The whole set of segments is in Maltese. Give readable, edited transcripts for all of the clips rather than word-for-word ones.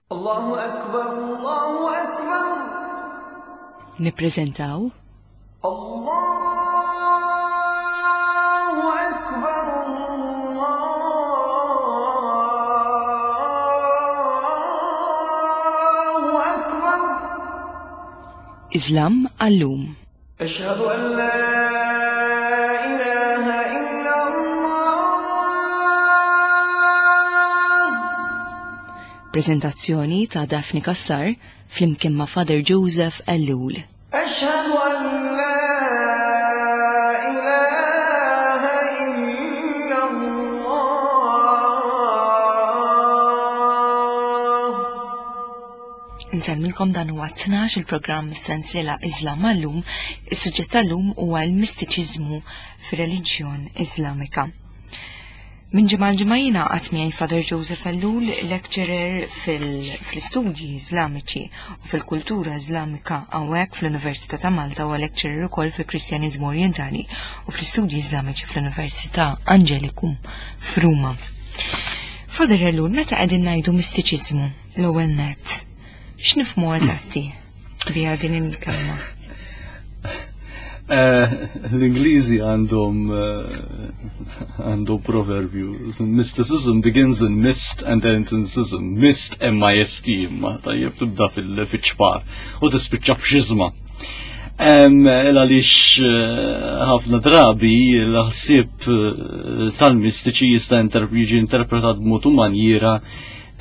Allahu akbar, Allahu akbar. Nippreżentaw Allahu akbar, Allahu akbar. Islam għallum. Ashhadu an la ilaha illa Allah. Prezentazzjoni ta' Daphne Kassar flimkien ma' Father Joseph Ellul. Ashhadu an la ilaha illa Allah. Insellmilkom dan huwa 12 il-programm sensiela Islam għallum, is-suġġett tal-lum huwa l-mistiċiżmu fir-reliġjon Iżlamika. Minn ġimgħa l-ġimgħa jiena qatt miegħi Father Joseph Ellul, lecturer fil-istudji Iżlamiċi u fil-kultura Iżlamika hawnhekk fl-Università ta' Malta u lecturer ukoll fil-Kristjaniżmu Orjentali u fl-istudji Iżlamiċi fl-Università Angelicum f'Ruma. Father Ellul, meta qegħdin ngħidu mistiċiżmu l-ewwel nett, x'nifhmu eżatti biha din il-kelma? Eh, L-Ingliżi għandhom eh, għandhom proverbju. Mysticism begins in mist and ends in sism. Mist M-I-S-T imma tajjeb tibda fil-ċpar u tispiċċa f'xiżma. Għaliex eh, ħafna drabi l-ħsieb tal-mistiċi jista' jiġi interpretat b'mod u manjiera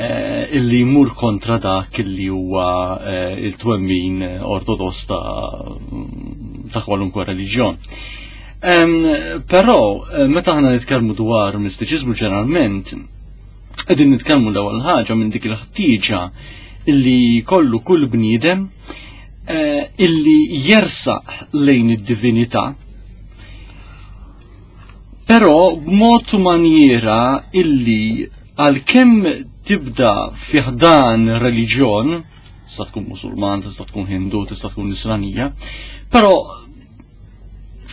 Eh, illi jmur kontra dak illi huwa eh, il-twemmin ortodoss ta' kwalunkwe reliġjon. Però eh, meta aħna nitkellmu dwar mistiċiżmu ġeneralment, qegħdin nitkellmu l-ewwel ħaġa minn dik il-ħtieġa illi kollu kull bniedem illi jersaq lejn id-divinità Però b'mod u manjiera illi għalkemm tibda fi ħdan reliġjon, tista' tkun Musulman, tista' tkun Hindu, tista' tkun Nisranija, però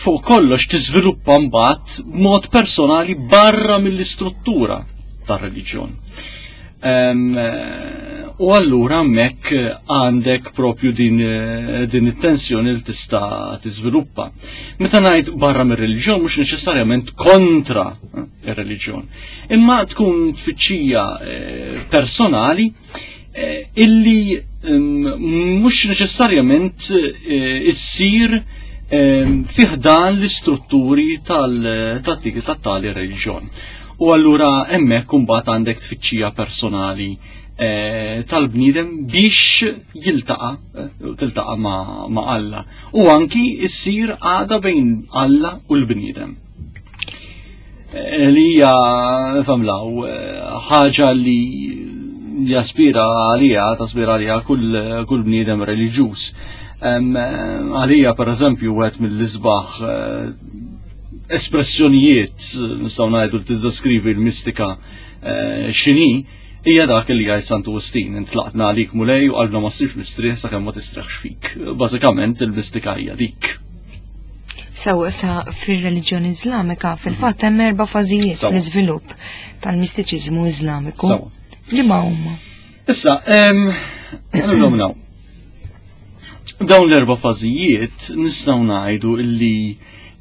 fuq kollox tiżviluppa mbagħad b'mod personali barra mill-istruttura tar-reliġjon. Eh, u allura hemmhekk għandek propju din, eh, din it-tensjoni li tista' tiżviluppa. Meta ngħid barra mir-reliġjon mhux neċessarjament kontra eh, ir-reliġjon, imma tkun tfittxija personali illi mhux neċessarjament issir fiħdan l-istrutturi tal-tiki tat-tali reliġjon. U allura hemmhekk imbagħad għandek tfittxija personali eh, tal-bniedem biex jiltaqa' eh, tiltaqa' ma' Alla. U anki issir għada bejn Alla u l-bniedem. Eh, li hija famlaw ħaġa li jaspira għalija, taspira għalija kull, kull bniedem reliġjuż. Għalija per eżempju għet mill-isbaħ espressjonijiet nistgħu ngħidu li tiddeskrivi l-mistika eh, x'inhi hija dak li jgħid Santu Wistin, intlaqtna għalik mulej u qalbna ma ssirx mistrieħ sakemm ma tistrieħx fik. Bażikament il-mistika hija dik. Sew issa fir-reliġjoni Iżlamika fil-fatt hemm erba' fażijiet fl-iżvilupp tal-mistiċiżmu Iżlamiku. Li ma huma? Issa, nibdew Dawn l-erba' fażijiet nistgħu ngħidu illi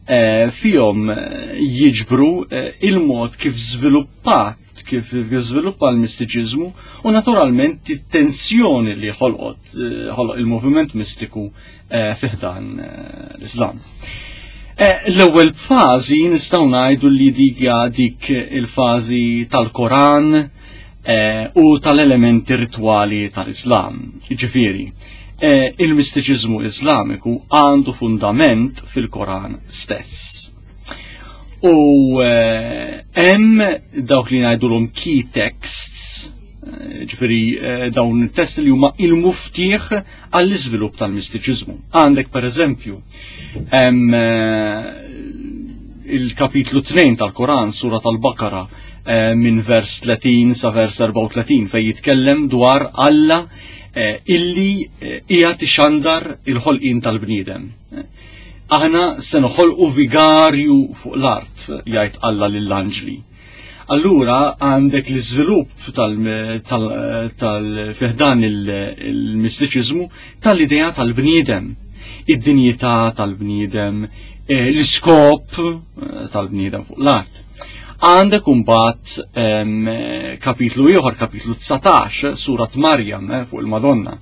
eh, fihom eh, jiġbru eh, il-mod kif żviluppat kif żviluppa l-mistiċiżmu u naturalment it-tensjoni li ħolqot ħoloq il-moviment mistiku fiħdan l-Islam. L-ewwel fażi nistgħu ngħidu li dika dik il-fażi tal-Koran u tal-elementi ritwali tal-Islam. Ġifieri, eh, il-mistiċiżmu Iżlamiku għandu fundament fil-Koran stess. U eh, hemm dawk li ngħidulhom key texts, eh, ġifieri dawn it-testi li huma il-muftieħ għall-iżvilupp tal-mistiċiżmu. Għandek pereżempju hemm il-kapitlu 2 tal-Koran, sura tal-Bakara, minn vers 30 sa vers 34 fej jitkellem dwar Alla Eh, illi eh, hija tixandar il-ħolqien tal-bniedem. Eh, aħna se noħolqu vigarju fuq l-art, jgħid Alla lill-anġli. Allura għandek l-iżvilupp tal-fiħdan il-mistiċiżmu tal-idea tal-bniedem, id-dinjità tal-bniedem, eh, l-iskop eh, tal-bniedem fuq l-art. Għandek imbagħad kapitlu ieħor, kapitlu 19, surat Marjam eh, fuq il-Madonna.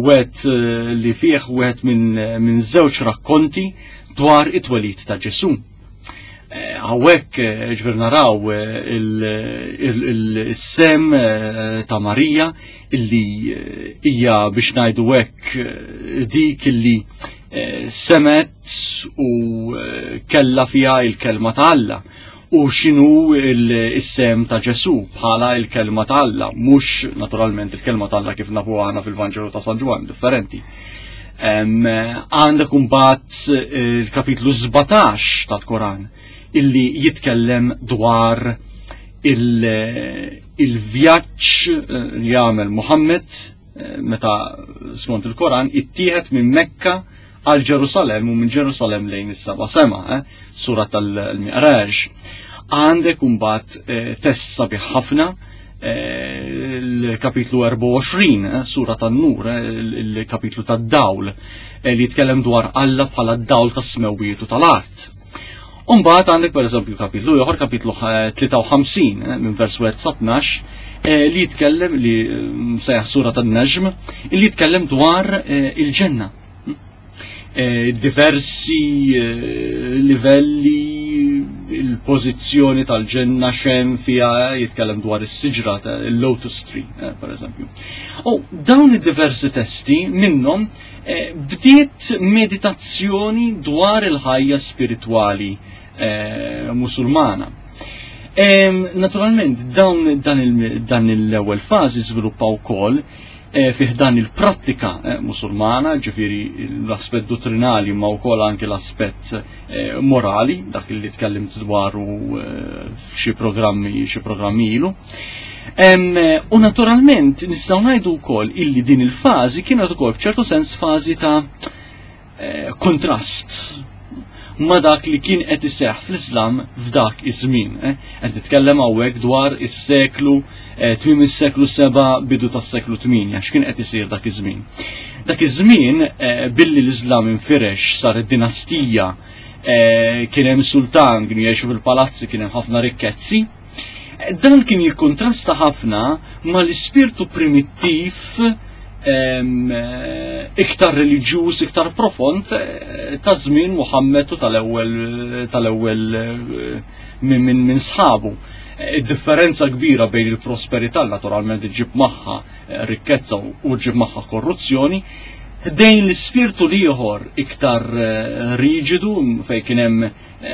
Wet li fih wieħed minn żewġ rakkonti dwar it-twelid ta' Ġesu. Hawnhekk ġbir naraw il-sem ta' Marija illi hija biex ngħidu hekk dik illi semet u kella fiha il-kelma ta' Alla u xinu il-sem ta' Ġesu bħala il-kelma ta' Alla, mhux naturalment il-kelma ta' Alla kif nafu aħna fil-Vanġelu ta' San Ġwann, differenti. Għandek imbagħad il-kapitlu 17 tal-Koran illi jitkellem dwar il-vjaġġ li jagħmel Muhammad meta skont il-Koran ittieħed minn Mekka għal Ġerusalem u minn Ġerusalem lejn is-seba' sema, sura tal-Mi'raj. Għandek imbagħad test sabiħ ħafna il-kapitlu 24, sura tan-Nur, il-kapitlu tad-dawl, li jitkellem dwar Alla bħala d-dawl tas-smewwiet u tal-art. Umbagħad għandek pereżempju kapitlu ieħor, kapitlu 53 minn vers 1 sa 12, li jitkellem li sejjaħ sura tan-Najm, li jitkellem dwar il-ġenna. Diversi livelli, il-pożizzjoni tal-ġenna xem fija, jitkellem dwar is-siġra, il-lotus tree, per eżempju. U dawn id-diversi testi minnhom bdiet meditazzjoni dwar il-ħajja spiritwali musulmana. Naturalment, dan l-ewwel fażi żviluppa wkoll fih dan il-prattika musulmana, ġifieri l-aspett dottrinali ma wkoll anke l-aspett morali, dak li tkellimt dwaru f'xi programmi, xi programmi ilu. U naturalment nistgħu ngħidu wkoll illi din il-fażi kienet ukoll f'ċertu sens fażi ta' kontrast ma dak li kien qed iseħħ fl-Islam f'dak iż-żmien. Qed nitkellem hawnhekk dwar is-seklu tmiem is-seklu 7 bidu tas-seklu 8, x'kien qed isir dak iż-żmien. Dak iż-żmien billi l-Islam infirex sar id-dinastija, kien hemm sultan, kienu jgħixu fil-palazzi, kien hemm ħafna rikkezzi. Dan kien jikkontrasta ħafna mal-ispirtu primittiv iktar reliġjuż, iktar profond ta' żmien Muhammad u tal-ewwel minn sħabu. Id-differenza kbira bejn il-prosperità naturalment iġib magħha rikkezza u ġib magħha korruzzjoni, ħdejn l-ispirtu l-ieħor iktar riġidu fejn kien hemm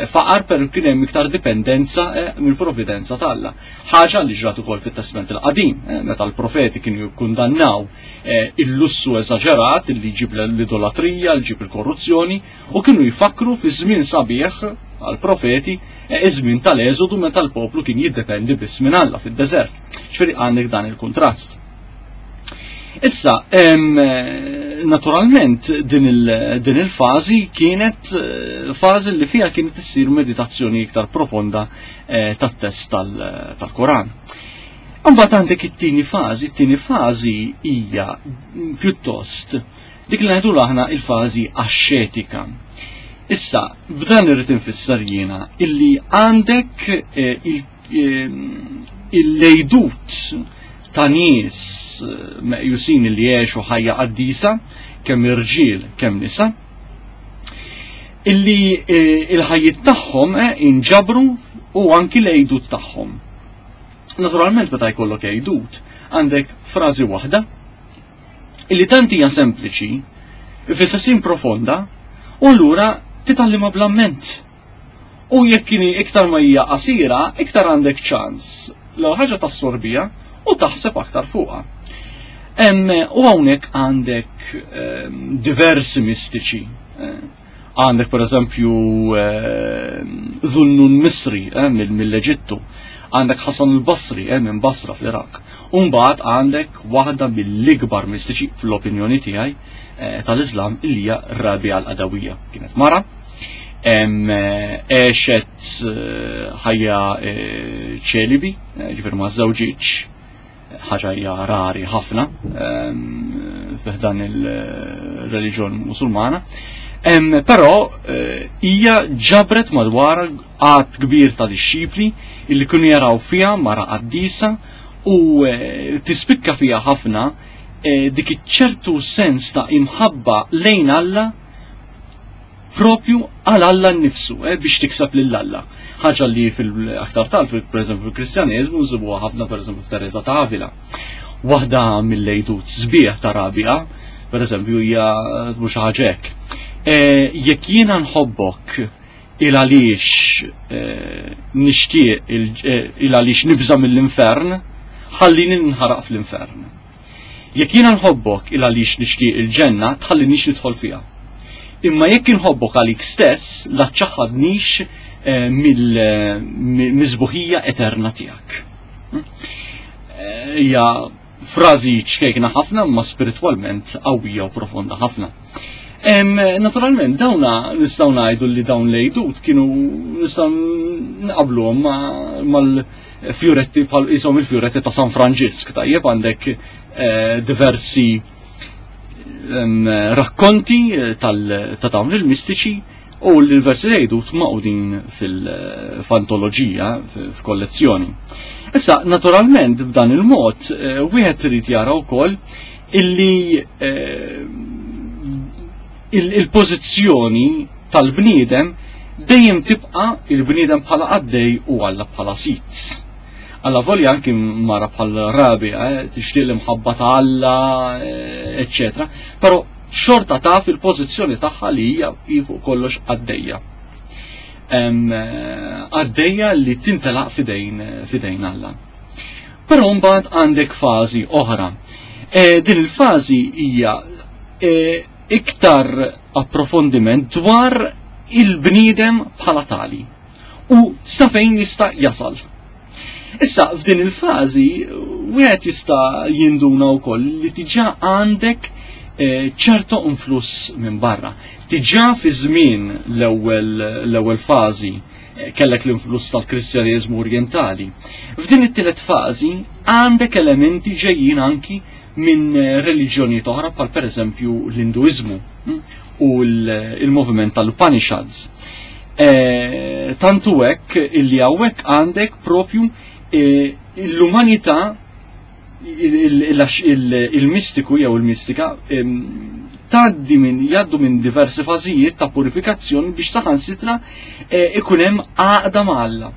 faqar, però kien hemm iktar dipendenza mill-provvidenza t'Alla. Ħaġa li ġrat ukoll fit-Testament il-Qadim, meta l-profeti kienu jikkundannaw il-lussu eżaġerat li jġib l-idolatrija, li jġib il-korruzzjoni, u kienu jfakru fi żmien sabiħ għall-profeti, iż-żmien tal-Eżodu meta l-poplu kien jiddependi biss minn Alla fid-deżert. Ġifieri għandek dan il-kuntrast. Issa, naturalment din il-fażi kienet fażi li fiha kienet issir meditazzjoni iktar profonda tat-test tal-Koran. Imbagħad għandek it-tieni fażi, it-tieni fażi hija pjuttost dik li ngħidu aħna il-fażi axxetika. Issa, b'dan irrid infisser jiena illi għandek il-lejdut ta' nies meqjusin li jgħixu ħajja qaddisa, kemm irġiel kemm nisa, illi il-ħajjiet tagħhom inġabru u anki l-għejdut tagħhom. Naturalment meta jkollok għejdut, għandek frażi waħda illi tant hija sempliċi, fl-istess profonda, u allura titgħallimha bl-amment. U jekk kien iktar ma hija qasira, iktar għandek ċans l ħaġa tassorbija u taħseb aktar fuqha. U hawnhekk għandek diversi mistiċi. Għandek per eżempju Dhunnun Misri mill-Eġittu, għandek Hasan al-Basri minn Basra fl-Iraq. U mbagħad għandek waħda mill-ikbar mistiċi fl-opinjoni tiegħi tal-Islam illi hija Rabia al-Adawiyya. Kienet mara. Għexet ħajja ċelibi, ġifieri ma żewġitx, ħaġa hija rari ħafna fiħdan il-reliġjon Musulmana. Però hija ġabret madwar għadd kbir ta' dixxipli illi kienu jaraw fiha mara qaddisa u tispikka fiha ħafna dik iċ-ċertu sens ta' imħabba lejn Alla propju għal Alla nnifsu, biex tikseb lil Alla. Ħaġa li fil-aktar tal, per eżempju, fil-Kristjaneżmu nsibuha ħafna per eżempju f'Teresa ta' Avila. Waħda mill-għidut sbieħ ta' Rabia, per eżempju, hija mhux ħaġa hekk. Jekk jiena nħobbok il għaliex nixtieq il għaliex nibża' mill-infern, ħallini nħaraq fl-infern. Jekk jiena nħobbok il għaliex nixtieq il-ġenna, tħallinix nidħol fiha. Imma jekk inħobbok għalik stess, la ċaħadnix mill-miżbuħija eterna tiegħek. Hija frażi ċkejkna ħafna, ma spiritwalment qawwija u profonda ħafna. Naturalment, dawna nistgħu ngħidu li dawn l-għidut kienu nistgħu nqabluhom mal-fjuretti bħal qishom il-fjuretti ta' San Franġisk, tajjeb għandek diversi rakkonti ta' dawn il-mistiċi u l-versi għidut maqudin fil-fantoloġija, f'kollezzjoni. Issa, naturalment, b'dan il-mod, wieħed irid jara wkoll illi il-pożizzjoni tal-bniedem dejjem tibqa' il-bniedem bħala qaddej u Alla bħala sid. Alla volja anki mara bħal Rabia, tixtieq l-imħabba ta' Alla, eccetera, però xorta taf il-pożizzjoni tagħha li hija fuq kollox qaddejja. Qaddejja li tintelaq fidejn Alla. Però mbagħad għandek fażi oħra. Din il-fażi hija iktar approfondiment dwar il-bniedem bħala tali u sa fejn jista' jasal. Issa, f'din il-fażi, wieħed jista' jinduna wkoll li diġà għandek ċertu influss minn barra. Diġà fi żmien l-ewwel fażi kellek l-influss tal-Kristjaneżmu Orjentali. F'din it-tielet fażi għandek elementi ġejjin anki minn reliġjonijiet oħra bħal pereżempju l-Induiżmu u l-moviment tal-Upanishads. Tantu hekk illi hawnhekk għandek propju l-umanità, il-mistiku jew il-mistika tgħaddi minn, jgħaddu minn diversi fażijiet ta' purifikazzjoni biex saħansitra ikun hemm għaqda ma' Alla.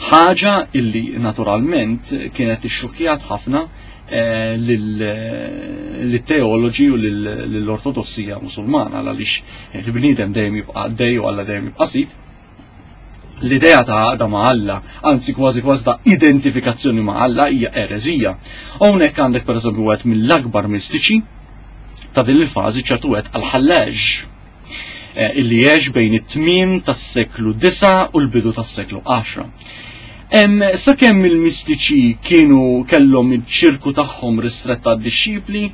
Ħaġa illi naturalment kienet ixxukkjat ħafna lit-teoloġi u lill-ortodossija musulmana, għaliex il-bniedem dejjem jibqa' għaddej u Alla dejjem jibqa' sid. L-idea ta' għaqda ma' Alla, anzi kważi kważi ta' identifikazzjoni ma' Alla hija ereżija. Hawnhekk għandek pereżempju wieħed mill-akbar mistiċi ta' din il-fażi, ċertu wieħed Al-Ħallaġ, illi għex bejn it-tmiem tas-seklu 9 u l-bidu tas-seklu 10. Sakemm il-mistiċi kienu kellhom iċ-ċirku tagħhom ristrett għad-dixxipli,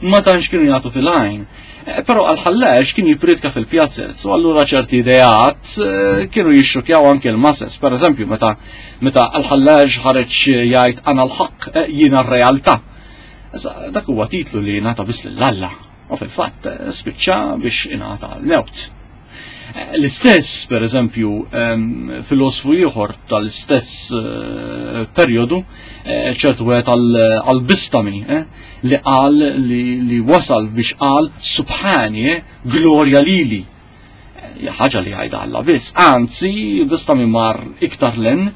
ma tantx kienu jagħtu fil-għajn. Però Al-Ħallaġ kien jippriedka fil-pjazzez, u allura ċerti ideat kienu jixxukjaw anke l-masses. Per eżempju, meta Al-Ħallaġ ħareġ jgħid ana l-ħaqq, jiena r-realtà. Issa, dak huwa titlu li ngħata biss lil Alla, u fil-fatt spiċċa biex ingħata l-mewt. L-istess, per eżempju, filosfu ieħor tal-istess perjodu, ċertu wieħed għal-Bistami, li qal li wasal biex qal Subhani, glorja lili. Ħaġa li għajda Alla biss. Anzi, Bistami mar iktar len,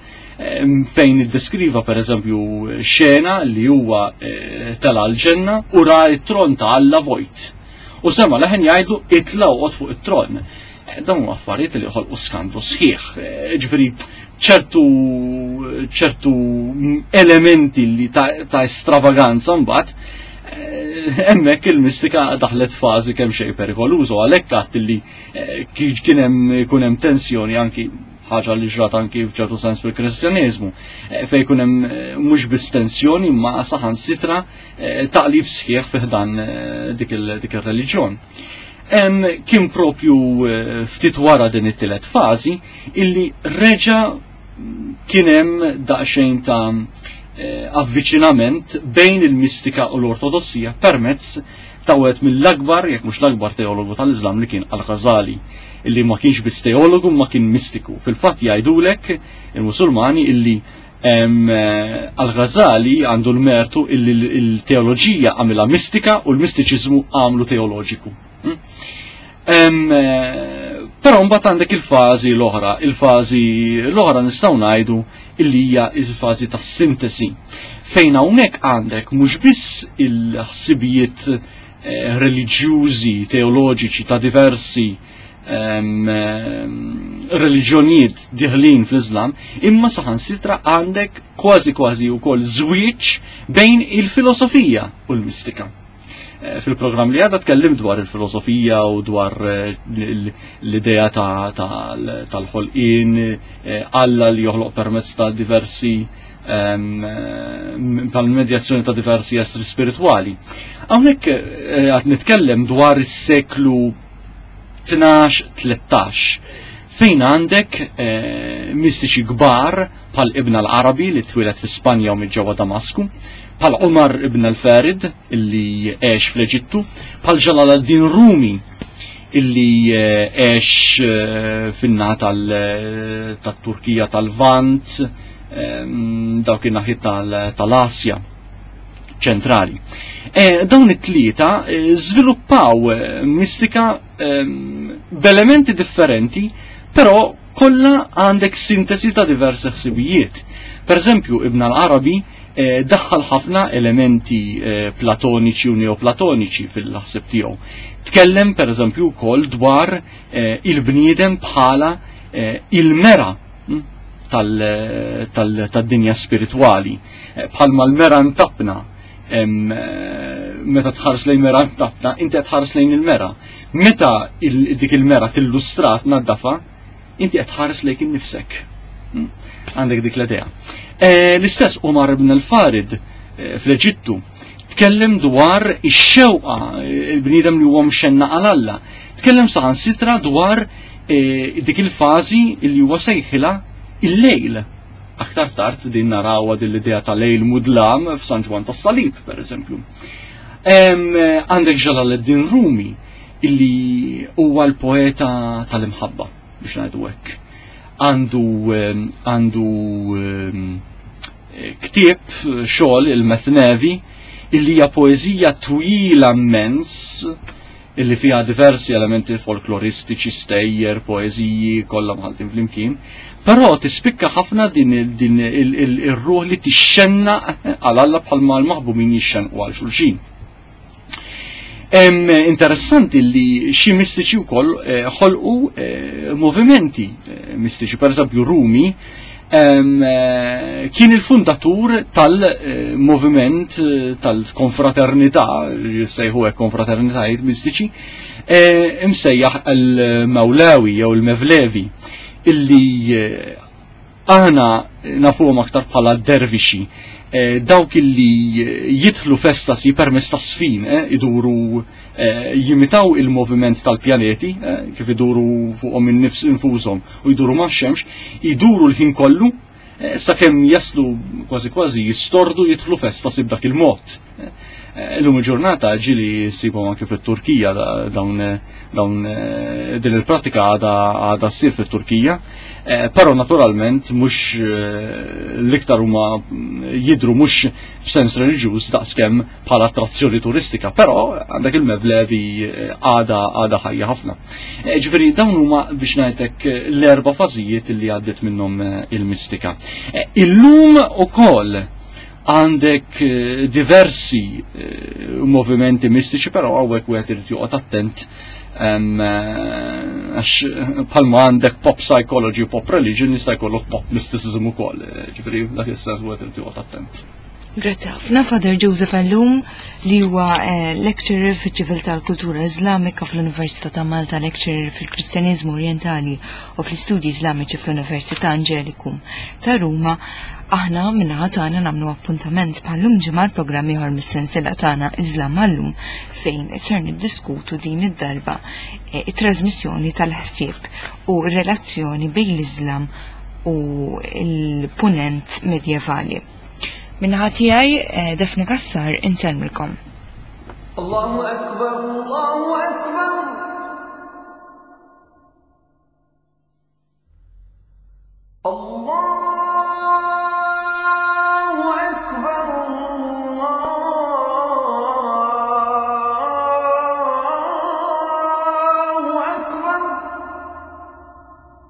fejn iddeskriva per eżempju xena li huwa tela l-ġenna u ra t-tron ta' Alla vojt. U sema leħen jgħidlu itla u fuq it-tron. Dawn huma affarijiet li ħolqu skandlu sħiħ. Ġifieri ċertu elementi li ta' estravaganza mbagħad hemmhekk il-mistika daħlet fażi kemm xejn perikolużu, għalhekk għadt li kien hemm ikun hemm tensjoni anki ħaġa li ġrat anki f'ċertu sens fil-Kristjaneżmu, fejn ikun hemm mhux biss tensjoni ma saħansitra taqlib sħiħ fi ħdan dik ir-reliġjon. Kien propju eh, ftit wara din it-tielet fażi illi reġa' kien hemm daqsxejn ta' eh, avviċinament bejn il-mistika u l-ortodossija permezz ta' wieħed mill-akbar, jekk mhux l-akbar teologu tal-Iżlam li kien Al-Ghazali, illi ma kienx biss teologu ma kien mistiku. Fil-fatt jgħidulek il-Musulmani illi eh, Al-Ghazali għandu l-mertu illi l-teoloġija għamilha mistika u l-mistiċiżmu għamlu teoloġiku. Hmm? Eh, però mbagħad għandek il-fażi l-oħra, il-fażi l-oħra nistgħu ngħidu illi hija il-fażi tas-sintesi. Fejn hawnhekk għandek mhux biss il-ħsibijiet eh, reliġjużi, teoloġiċi ta' diversi reliġjonijiet diħlin fl-Islam, imma saħansitra għandek kważi kważi wkoll żwieġ bejn il-filosofija u l-mistika. Eh, fil-programm li għadha tkellim dwar il-filosofija u dwar eh, l-idea tal-ħolqien, eh, Alla li joħloq permezz ta' diversi ehm, tal-medjazzjoni ta' diversi essri spirituali. Hawnhekk għad nitkellem dwar is-seklu 12-13 fejn għandek mistiċi kbar bħal Ibn al-Arabi li twieled fi Spanja u minn ġewwa Damasku, bħal Umar ibn al-Farid illi għex fl-Eġittu, bħal Jalal al-Din Rumi illi eh, għex eh, fin-naħa eh, tal-Turkija tal-Vant, ehm, dawk in-naħi tal-Asja ċentrali. Dawn it-tlieta żviluppaw mistika ehm, b'elementi differenti, però kollha għandek sintesi ta' diversi ħsibijiet. Per eżempju, Ibn al-Arabi eh, daħħal ħafna elementi eh, platoniċi u neoplatoniċi fil-ħsib tiegħu. Tkellem per eżempju wkoll dwar eh, il-bniedem bħala il-mera hm, tal-dinja spiritwali. Bħalma l-mera ntabna meta tħares lejn mera ntabna, inti qed tħares lejn il-mera. Meta dik il-mera tillustrat naddafa, inti qed tħares lejk innifsek. Hmm? Għandek dik l-idea. Eh, l-istess Umar ibn al-Farid eh, fl-Eġittu tkellem dwar ix-xewqa eh, il-bniedem li huwa mxenna għal Alla. Tkellem saħansitra dwar dik il-fażi li huwa sejħilha il-lejl. Aktar tard din narawha din l-idea ta' lejl mudlam f'San Ġwann tas-Salib, per eżempju. Għandek Ġalaluddin Rumi illi huwa l-poeta tal-imħabba biex ngħidu hekk. Għandu għandu ktieb xogħol il-Methnevi illi hija poeżija twila immens illi fiha diversi elementi folkloristiċi, stejjer, poeżiji, kollha mħaltin flimkien. Però tispikka ħafna din ir-ruħ li tixxenna għal Alla bħalma l-maħbumin jixxenqu għal xulxin. Interessanti li xi mistiċi wkoll eh, ħolqu eh, movimenti eh, mistiċi, per eżempju Rumi kien il-fundatur tal-moviment tal-konfraternità, jissejħu hekk konfraternitajiet mistiċi, imsejjaħ il-Mawlawi jew il-Mevlevi, illi Aħna nafuhom aktar bħala dervixi, eh, dawk illi jidħlu f'estasi permezz ta' sfin, eh, iduru eh, jimitaw il-moviment tal-pjaneti, kif iduru fuqhom infushom u jduru max-xemx, iduru l-ħin kollu sakemm jaslu kważi kważi jistordu jidħlu f'estasi b'dak il-mod. Illum il-ġurnata ġili ssibhom anke fit-Turkija dawn dawn eh, din il-pratika għadha għadha ssir fit-Turkija, eh, però naturalment mhux eh, l-iktar huma jidru mhux f'sens reliġjuż daqskemm bħala attrazzjoni turistika, però għandek il-mevlevi għadha għadha ħajja ħafna. Ġifieri dawn huma biex ngħidlek l-erba' fażijiet li għaddiet minnhom il-mistika. Illum ukoll Għandek eh, diversi eh, movimenti mistiċi, però hawnhekk wieħed irid joqgħod attent eh, għax bħalma għandek pop psychology u pop religion jista' jkollok pop mysticism ukoll, ġifieri dak is-sens wieħed irid joqgħod attent. Grazzi ħafna Father Joseph Allum li huwa eh, lecturer fiċ-ċiviltà tal-kultura Iżlamika fl-Università ta' Malta, lecturer fil-Kristjaniżmu Orjentali u fl-Istudji Iżlamiċi fl-Università Angelicum ta' Ruma. Aħna minnaħa tagħna nagħmlu appuntament bħallum ġimgħa l-programm ieħor mis-sensiela tagħna Iżlam għallum fejn ser niddiskutu din id-darba eh, it-trasmissjoni tal-ħsieb u r-relazzjoni bejn l-Iżlam u l-punent medjevali. Minnaħa tiegħi eh, Daphne Kassar insellmilkom. Allahu Akbar, Allahu Akbar.